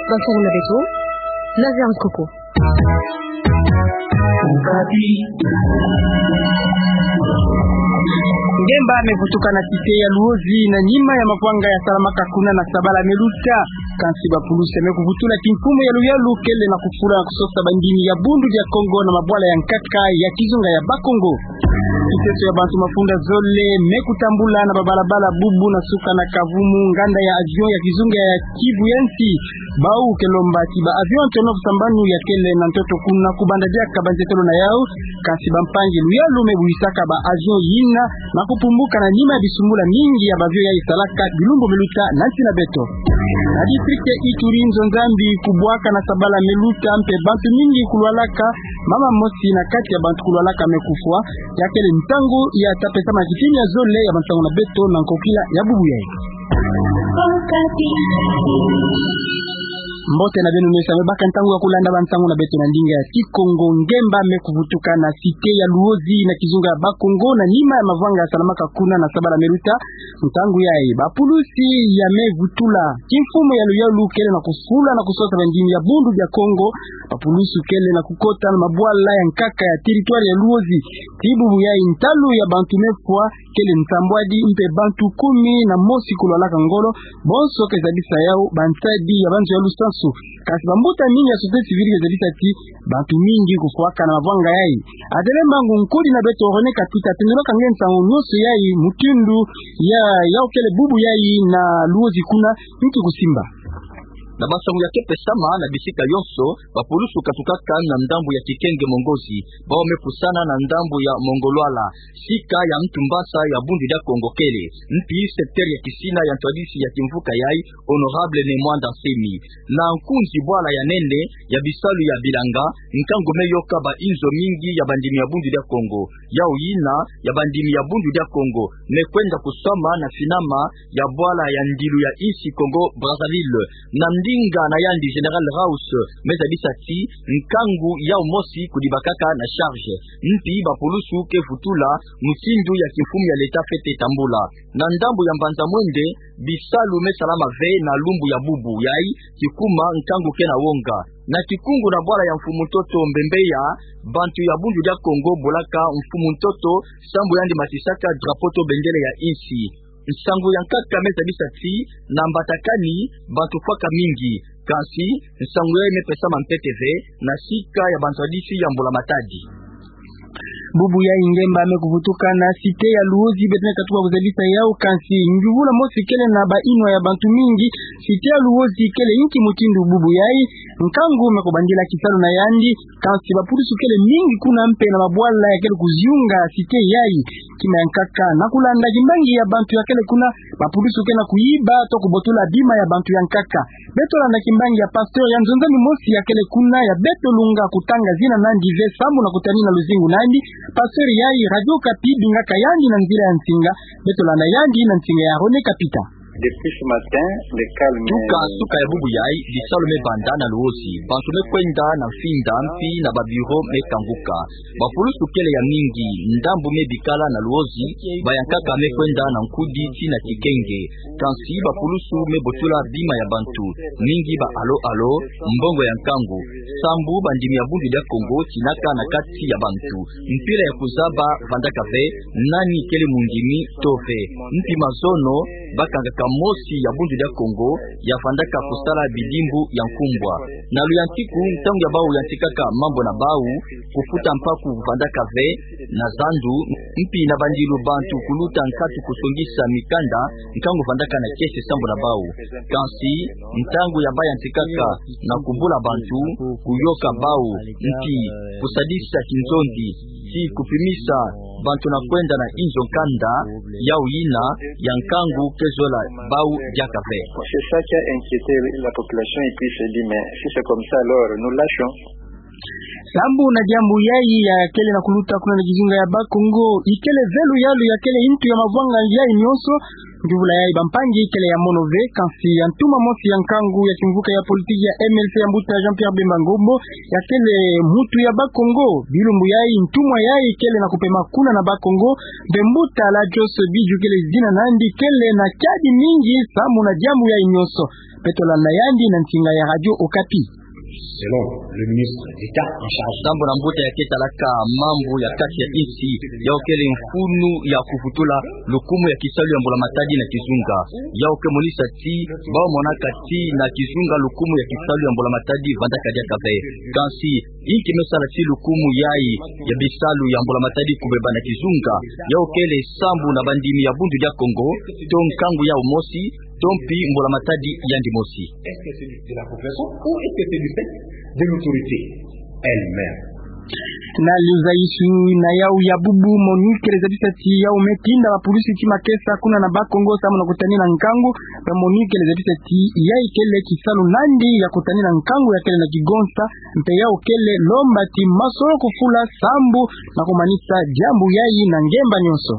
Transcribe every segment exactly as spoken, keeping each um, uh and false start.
Bansango na beto, Nazaire Nkoko. Ngemba me vutuka na cité ya Luozi na nima ya mavwanga ya salamaka kuna na sabala me luta. Kansi bapulusi me kuvutula kimfumu ya luyalu kele na kufula na kusosa bandimi ya Bundu dia Kongo na mabwala ya nkaka ya kizunga ya Bakongo. Kiteso ya bantu mafunda zole me kutambula na babalabala bubu na suka na kavumu nganda ya avion ya kizunga ya Kivu ya nsi. Bau ke lomba ti ba avion Antonov sambanu ya kele na ntoto kuna kubanda diaka banzetelo na yau. Kansi bampangi luyalu me buhisaka ba avion yina na kupumbuka na nima ya bisumbula mingi ya ba avion yayi salaka bilumbu me luta na nsi na beto. Na district ya Ituri, nzo Nzambi kubwaka na sabala me luta mpe bantu mingi kulwalaka, mama mosi na kati ya bantu kulwalaka me kufwa. Ya kele ntangu ya tapesama kitini ya zole ya bansango na beto na nkokila ya bubu yayi. Mbote na beno nyonso ya me baka ntangu ya kulanda bansango na beto na ndinga ya Kikongo. Ngemba me kuvutuka na cité ya Luozi na kizunga ya Bakongo na nima ya mavwanga ya salamaka kuna na sabala me luta. Ntangu yayi bapulusi ya me vutula kimfumu ya luyalu kele na kufula na kusosa bandimi ya Bundu dia Kongo. Bapulusi kele na kukota na mabwala ya nkaka ya territoire ya Luozi. Ti bubu yayi ntalu ya bantu me fwa kele nsambwadi mpe bantu kumi na mosi kulwalaka ngolo. Bonso ke zabisa yau bantadi ya banzo ya lusansu. Kansi bambuta mingi ya société civile ke zabisa ti bantu mingi kufwaka na mavwanga yayi. Adele Mbangu, nkudi na beto René Kapita, tendoloka nge nsangu nyonso yayi, mutindu ya yau kele bubu yayi na Luozi kuna, nki kusimba? Na bansangu ya ke pesama na bisika yonso, bapulusu katukaka na ndambu ya Kikenge Mongozi, bau me pusana na ndambu ya Mongolwala, sika ya ntu mbasa ya Bundu dia Kongo kele, mpi secteur ya kisina ya ntwadisi ya kimvuka yayi, Honorable Ne Muanda Nsemi. Na nkunzi bwala ya nene ya bisalu ya bilanga, nkangu me yoka ba inzo mingi ya bandimi ya Bundu dia Kongo. Yau yina ya bandimi ya Bundu dia Kongo me kwenda kuswama na finama ya bwala ya ndilu ya insi Congo Brazzaville. Na ndinga na yandi Général Raus me zabisa ti nkangu yau mosi kudibakaka na charge. Mpi bapulusu ke vutula mutindu ya kimfumu ya leta fwete tambula. Na ndambu ya mbanza mwende, bisalu me salama ve na lumbu ya bubu yayi, kikuma nkangu ke na wonga. Na kikungu na bwala ya mfumu ntoto Mbembeya, bantu ya Bundu dia Kongo bolaka mfumu ntoto sambu yandi matisaka drapeau to bendele ya insi. Nsangu ya nkaka me zabisa ti na Mbatakani bantu fwaka mingi. Kansi nsangu yayi me pesama mpete ve na sika ya bantwadisi ya mbula matadi. Bubu yayi ngemba me kuvutuka na cité ya Luozi, beto me katuka kuzabisa yau, kansi ngiuvula mosi kele na ba inwa ya bantu mingi. Cité ya Luozi kele inki mutindu bubu yayi? Nkangu me kubandila kisalu na yandi, kansi bapulusu kele mingi kuna mpe na mabwala ya kele kuziunga cité yayi. Kima ya nkaka, na kulanda kimbangi ya bantu ya kele kuna, bapulusu ke na kuyiba to kubotula bima ya bantu ya nkaka. Beto landa kimbangi ya pasteur ya nzo Nzambi mosi ya kele kuna, ya beto lunga kutanga zina nandi ve sambu na kutani na luzingu nandi. Pasteur yayi Radio Okapi bingaka yandi na nzila ya nsinga. Beto landa yandi na nsinga ya René Kapita. Depuis ce matin, le calme. Tuka suka ya bubu yayi, bisalu me banda na Luozi. Bantu me kwenda na mfinda, mpi na ba bureau me kanguka. Bapulusu kele ya mingi, ndambu me bikala na Luozi, ba ya nkaka me kwenda na nkudi ti na Kikenge. Kansi bapulusu me botula bima ya bantu, mingi ba alo alo, mbongo ya nkangu. Sambu bandimi ya Bundu dia Kongo tinaka na kati ya bantu mpila ya kuzaba vandaka ve nani kele mundimi to ve. Mpi mazono bakangaka mosi ya Bundu dia Kongo ya vandaka kusala bidimbu ya nkumbwa. Na luyantiku, ntangu ya bau yantikaka mambu na bau, kufuta mpaku vandaka ve na zandu, mpi na bandilu bantu kuluta nkatu kusongisa mikanda, nkangu vandaka na kiese sambu na bau. Kansi ntangu ya bau yantikaka na kubula bantu, kuyoka bau, mpi kusadisa kinzonzi, ti kupimisa bantu na kwenda na inzo nkanda, yau yina ya nkangu ke zola bau diaka ve. C'est ça qui a inquiété la population et puis il s'est dit, mais si c'est comme ça, alors nous lâchons. Sambu na diambu yayi ya kele na kuluta kuna na kizunga ya Bakongo, ikele ve luyalu ya kele ntu ya mavwanga yayi nyonso, Njuvula yayi bampangi kele ya mono ve, kansi ya ntuma mosi ya nkangu ya kimvuka ya politiki ya M L C ya mbuta Jean-Pierre Bemba Ngombo, ya kele mutu ya Bakongo. Bilumbu yayi ntumwa yayi kele na kupema kuna na Bakongo, mpe mbuta Lajos Bidju kele zina nandi, kele na kiadi mingi samu na diambu yayi nyonso. Beto landa yandi na nsinga ya Radio Okapi. Selon le ministre d'État en charge. Sambu na mbuta ya ketalaka mambu ya kati ya insi, yawu kele mfunu ya kuvutula lukumu ya kisalu ya mbula matadi na kizunga. Yawu ke monisa ti, bawu monaka ti na kizunga lukumu ya kisalu ya mbula matadi vandaka diaka ve. Kansi, inki me sala ti lukumu yayi ya bisalu ya mbula matadi kubeba na kizunga? Yawu kele sambu na bandimi ya Bundu dia Kongo, to nkangu yawu mosi, to mpi mbula matadi yandi mosi. Est-ce que c'est de la population ou est-ce que c'est du fait de l'autorité elle-même? Na luzayisi na yawu ya bubu, MONUC kele zabisa ti yawu me tinda bapulusi ti makesa kuna na Bakongo samu na kutanina nkangu. Mpe MONUC kele zabisa ti yayi kele kisalu nandi ya kutanina nkangu ya kele na kigonsa. Mpe yawu kele lomba ti masolo kufula sambu na kumanisa diambu yayi na ngemba nyonso.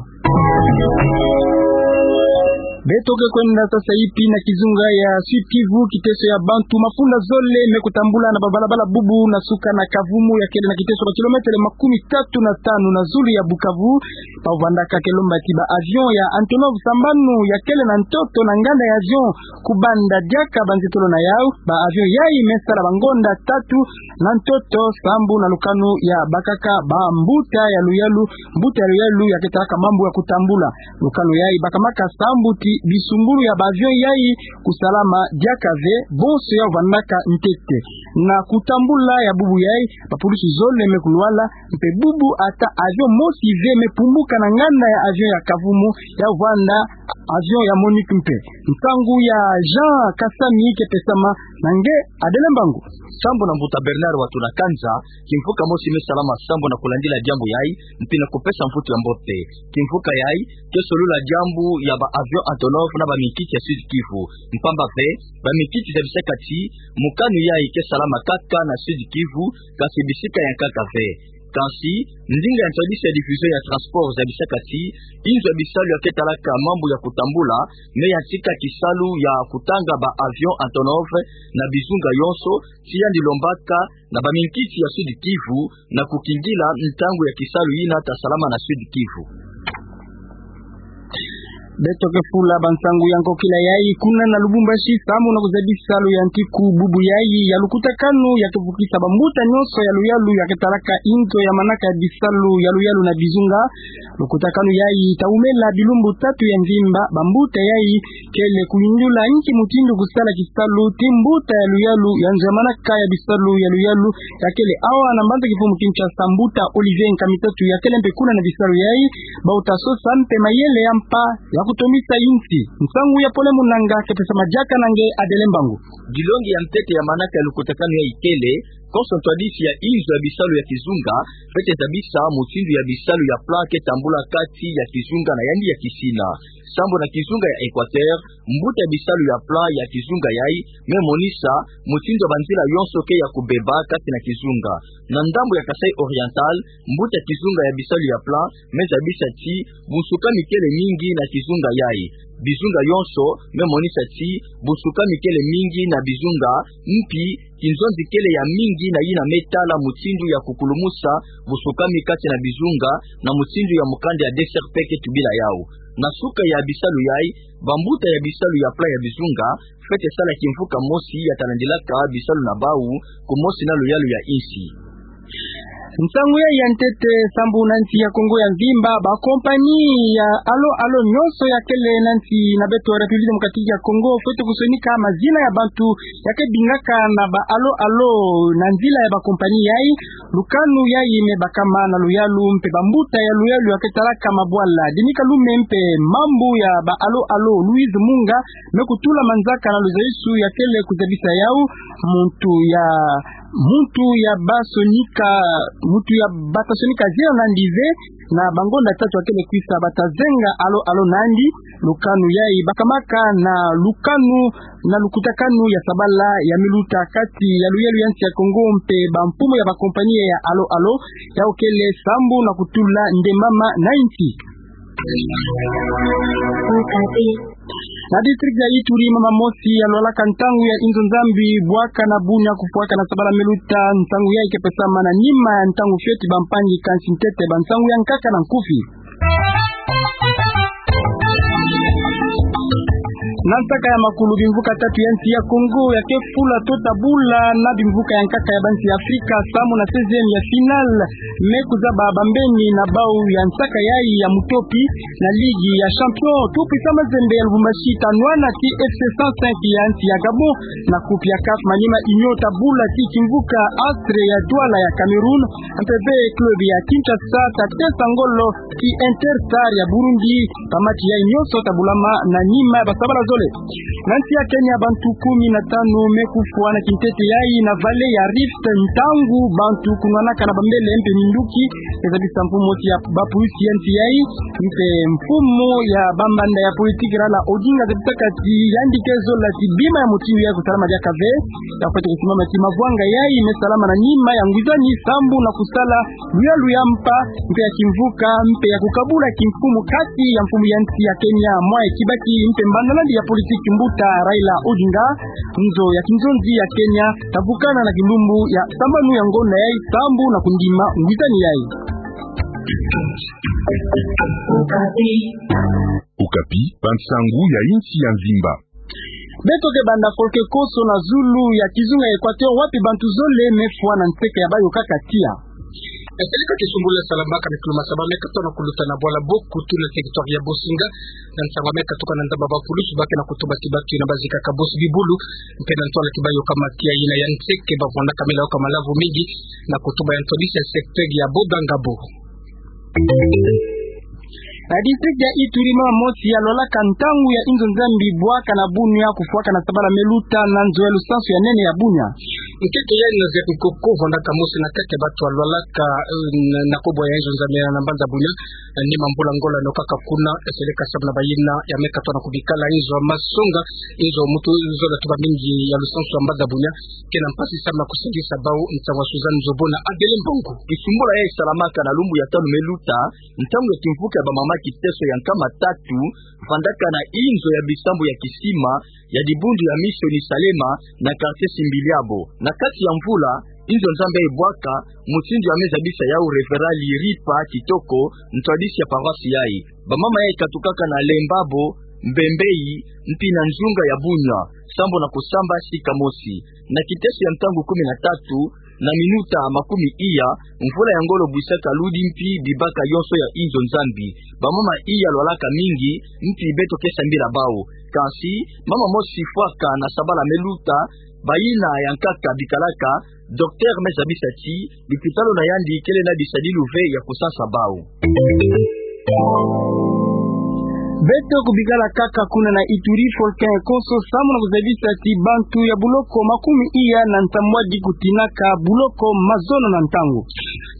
Beto ke kwenda sasa ipi na kizunga ya Sud-Kivu, kiteso ya bantu mafunda zole me kutambula na babalabala bubu na suka na Kavumu ya kele na kiteso ba kilometele makumi tatu na tanu na zulu ya Bukavu. Bawu vandaka ke lomba ti ba avion ya Antonov sambanu ya kele na ntoto na nganda ya avion kubanda diaka banzetolo na yawu. Ba avion yayi me sala bangonda tatu na ntoto sambu na lukanu ya bakaka bambuta ya luyalu, mbuta ya luyalu ya ketalaka mambu ya kutambula. Lukanu yayi bakamaka sambu ti bisumbulu ya ba avion yayi kusalama diaka ve, bonso yawu vandaka ntete. Na kutambula ya bubu yayi, bapulusi zole me kulwala, mpe bubu ata avion mosi ve me pumbuka na nganda ya avion ya Kavumu, yawu vanda avion ya MONUC mpe. Nsangu ya Jean Kasami ke pesama na nge Adele Mbangu. Sambu na mbuta Bernard Watunakanza, kimvuka mosi me salama sambu na kulandila diambu yayi, mpi na kupesa mvutu ya mbote. Kimvuka yayi ke solula diambu ya ba avion Antonov na baminkiti ya Sud-Kivu. Mpamba ve, baminkiti zabisaka ti mokanu yayi ke salama kaka na Sud-Kivu, kansi bisika ya nkaka ve. Kansi, ndinga ya ntwadisi ya division ya transport zabisaka ti inzo ya bisalu ya ketalaka mambu ya kutambula me yantika kisalu ya kutanga ba avion Antonov na bizunga yonso, ti yandi lombaka na baminkiti ya Sud-Kivu na kukingila ntangu ya kisalu yina ta salama na Sud-Kivu. Beto ke fula bansangu ya nkokila yayi kuna na Lubumbashi, samu na kuzebi salu ya ntiku bubu yayi ya lukutakanu ya kevukisa bambuta nyonso ya luyalu ya ketalaka inzo ya manaka ya bisalu ya luyalu na bizunga. Lukutakanu yayi ta wumela bilumbu tatu ya mvimba. Bambuta yayi kele kuyindula nki mutindu kusala kisalu ti mbuta ya luyalu ya nzo ya manaka ya bisalu ya luyalu ya kele awa na mbanza kifumu Kinshasa, mbuta Olivier Nkamitatu ya kele mpe kuna na bisalu yayi. Bawu ta sosa mpe mayele ya mpa ya kutondisa insi. Nsangu ya Pole Munanga ke pesama diaka na nge Adele Mbangu. Dilongi ya ntete ya manaka ya lukutakanu yayi kele konso ntwadisi ya inzo ya bisalu ya kizunga, fwete zabisa mutindu ya bisalu ya plan ke tambula kati ya kizunga na yandi ya kisina. Sambu na kizunga ya Equateur, mbuta ya bisalu ya plan ya kizunga yayi me monisa mutindu ya banzila yonso ke ya kubeba kati na kizunga. Na ndambu ya Kasaï Oriental, mbuta ya kizunga ya bisalu ya plan me zabisa ti bunsukami kele mingi na kizunga yayi. Bizunga yonso me monisa ti bunsukami kele mingi na bizunga, mpi kinzonzi kele ya mingi na yina me tala mutindu ya kukulumusa bunsukami kati na bizunga, na mutindu ya mukanda ya D C R P ke tubila yawu. Na suka ya bisalu yayi, bambuta ya bisalu ya plan ya bizunga fwete sala kimvuka mosi ya ta landilaka bisalu na bawu, kumosi na luyalu ya insi. Nsangu yayi ya ntete. Sambu na nsi ya Kongo ya mvimba, ba compagnie ya Allo Allo nyonso ya kele na nsi na beto République Démocratique ya Kongo fwete kusonika mazina ya bantu ya ke bingaka na ba Allo Allo na nzila ya ba compagnie yayi. Lukanu yayi me bakama na luyalu mpe bambuta ya luyalu ya ketalaka mabwala, Dini Kalume, mpe mambu ya ba Allo Allo, Louise Munga, me kutula manzaka na luzayisi ya kele kuzabisa yawu. Muntu ya, muntu ya basonika, muntu ya bata sonika zina nandi ve, na bangonda tatu ya kele kwisa bata zenga Allo Allo nandi. Lukanu yayi bakamaka na lukanu, na lukutakanu ya sabala ya miluta kati ya luyalu ya nsi ya Kongo mpe bamfumu ya ba compagnie ya Allo Allo, yawu kele sambu na kutula nde mama na insi. Na district ya Ituri, mama mosi ya lwalaka ntangu ya inzo Nzambi bwaka na bunia kufwaka na sabala me luta, ntangu yayi ke pesa mana nima ya ntangu fioti bampangi kansi ntete ba ntangu ya nkaka na nkufi. Na nsaka ya makulu, bimvuka tatu ya nsi ya Kongo ya ke fula tota bula na bimvuka ya nkaka ya bansi ya Afrika samu na seizième ya finale me kuzaba bambeni na bau ya nsaka yayi ya mutopi na Ligue ya Champion. Tout Puissant Mazembe ya Lubumbashi ta nwana ti FC cent cinq ya nsi ya Gabon. Na coupe ya CAF, Maniema Union ta bula ti kimvuka Astre ya Douala ya Cameroun, mpe ve club ya Kinshasa ta tesa ngolo ti Interstar ya Burundi. Ba match yayi nyonso ta bulama na nima ya ba sabala zole. Na nsi ya Kenya, bantu kumi na tanu me kufwa na kintete yayi na vallée ya Rift, ntangu bantu kunwanaka na bambele mpe minduki. Eza bisa mfumu mosi ya ba pulusi ya nsi yayi, mpe mfumu ya bambanda ya politique Raila Odinga, za bisaka ti yandi ke zola ti bima ya mutindu yayi kusalama diaka ve. Ya fweti kusimama ti mavwanga yayi me salama na nima ya ngwizani sambu na kusala luyalu ya mpa mpe ya kimvuka mpe ya kukabula kimfumu kati ya mfumu ya nsi ya Kenya, Mwai Kibaki, mpe mbanda na yandi ya politique mbuta Raila Odinga. Nzo ya kinzonzi ya Kenya ta vukana na kilumbu ya sambanu ya ngonda yayi sambu na kundima ngwizani yayi. Okapi, bansangu ya insi ya mvimba. Beto ke banda folke koso na zulu ya kizunga ya Equateur, wapi bantu zole me fwa na nseke ya bayo kaka tia. Esele ka kisumbula salamaka na kiluma saba me katoa na kuluta na bwala Bokutu na territoire ya Bosinga, na nsangu me katuka na ndamba ba pulusu ba ke na kutuba ti batu yina ba zikaka bosi bibulu, mpe na ntwala ti bayoka matia yina ya nseke ba vwandaka me layoka malavu mingi, na kutuba ya ntwadisi ya secteur ya Bodangabo. Na district ya Ituri, mama mosi ya lwalaka ntangu ya inzo Nzambi bwaka na bunia kufwaka na sabala me luta na nzo ya lusansu ya nene ya bunia. Nkeke yayi na Zet Nkoko, vwandaka mosi na kati ya batu ya lwalaka, eh, na, na kobwa ya inzo Nzambi na mbanza bunia, eh, nima mbula ngola no kaka kuna, esele ka samu na bayina ya me katoa na kubikala inzo ya masonga, inzo muntu zola tuba mingi ya lusansu ya mbanza bunia, ke na mpasi samu na kusingisa bau. Nsangu ya Suzanne Nzobo na Adele Mbongo. Kisumbula yayi salamaka na lumbu ya tanu me luta, ntangu ya kimvuka ya bamama kiteso ya nkama tatu, vwandaka na inzo ya bisambu ya kisima ya dibundu ya Mission Salema na quartier Simbiliabo. Na kati ya mvula, inzo Nzambi yayi bwaka, mutindu ya me zabisa yau Révérend Liripa Kitoko, ntwadisi ya paroisse yayi. Bamama yayi katukaka na Lembabo, Mbembei, mpi na nzunga ya bunia, sambu na kusamba sika mosi. Na kiteso ya ntangu kumi na tatu, na minuta makumi iya, mvula ya ngolo bwisaka ludi mpi bibaka yonso ya inzo Nzambi. Bamama iya lwalaka mingi, mpi beto ke sambila bau. Kansi, mama mosi fwaka na sabala me luta, bayina ya nkaka bikalaka, docteur me zabisa ti lupitalu na yandi kele na bisadilu ve ya kusansa bau. Beto kubikala kaka kuna na Ituri, folke koso samu na kuzabisa ti bantu ya buloko makumi iya na nsambwadi kutinaka buloko mazono na ntangu.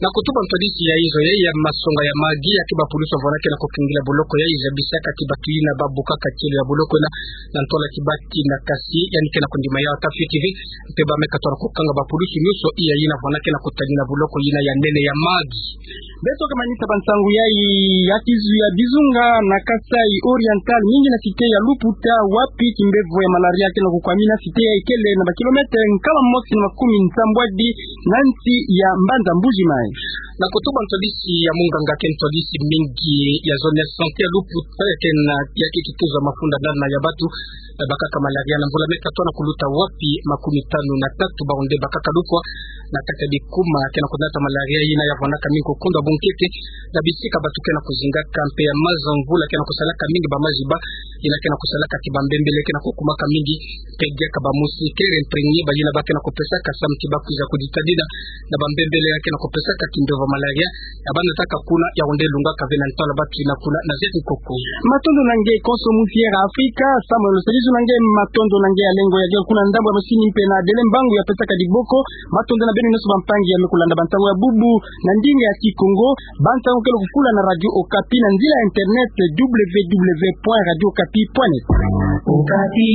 Na kutuba ntwadisi ya inzo yayi ya masonga ya Magi, ya ke ba pulusu vwandaka na kukengila buloko yayi, zabisaka ti batu yina ba bukaka tielo ya buloko yina, na ntwala ti bati na kasi, yandi ke na kundima yau ata fioti ve, mpe ba me katoa na kukanga ba pulusu nyonso iya yina vwandaka na kutanina buloko yina ya nene ya Magi. Beto ke manisa bansangu yayi ya kizu ya bizunga na Kasaï Oriental, mingi na cité ya Luputa, wapi kimbevo ya malaria ke na kukwamina. Cité yayi kele na ba kilomètre nkama mosi na makumi nsambwadi na nsi ya mbanza Mbuji Mayi. Na kutuba ntwadisi ya munganga ke ntwadisi mingi ya zone ya santé ya Luputa, ya ke na, ya ke kituza mafunda nana ya batu bakaka malaria na mvula me katoa na kuluta, wapi makumi tanu na tatu bau nde bakaka lukwa na kati ya bikuma ke na kunata malaria yina ya vwandaka mingi kukundwa bunkeke na bisika batu ke na kuzingaka, mpe ya maza mvula ke na kusalaka mingi ba maziba, yina ke na kusalaka ti ba mbembele ke na kukumaka mingi, mpe diaka ba moustiquaires imprégnés, bayina ba ke na kupesaka samu ti ba kwiza kuditadina na ba mbembele ya ke na kupesaka kimbevo malaria. Ya ba nataka kuna, ya onde lungaka ve na ntwala batu yina kuna na Zet Nkoko. Matondo na nge konso musi ya Afrika, Samuel Salisu na nge, matondo na nge Alengo ya Gel kuna ndambu ya masini mpe na Adele Mbangu ya pesaka diboko. Matondo na beno nyonso bampangi ya me kulanda bansangu ya bubu na ndinga ya Kikongo. Bansangu ke lukufula na Radio Okapi na nzila ya internet, w w w point radio okapi point net. Okapi.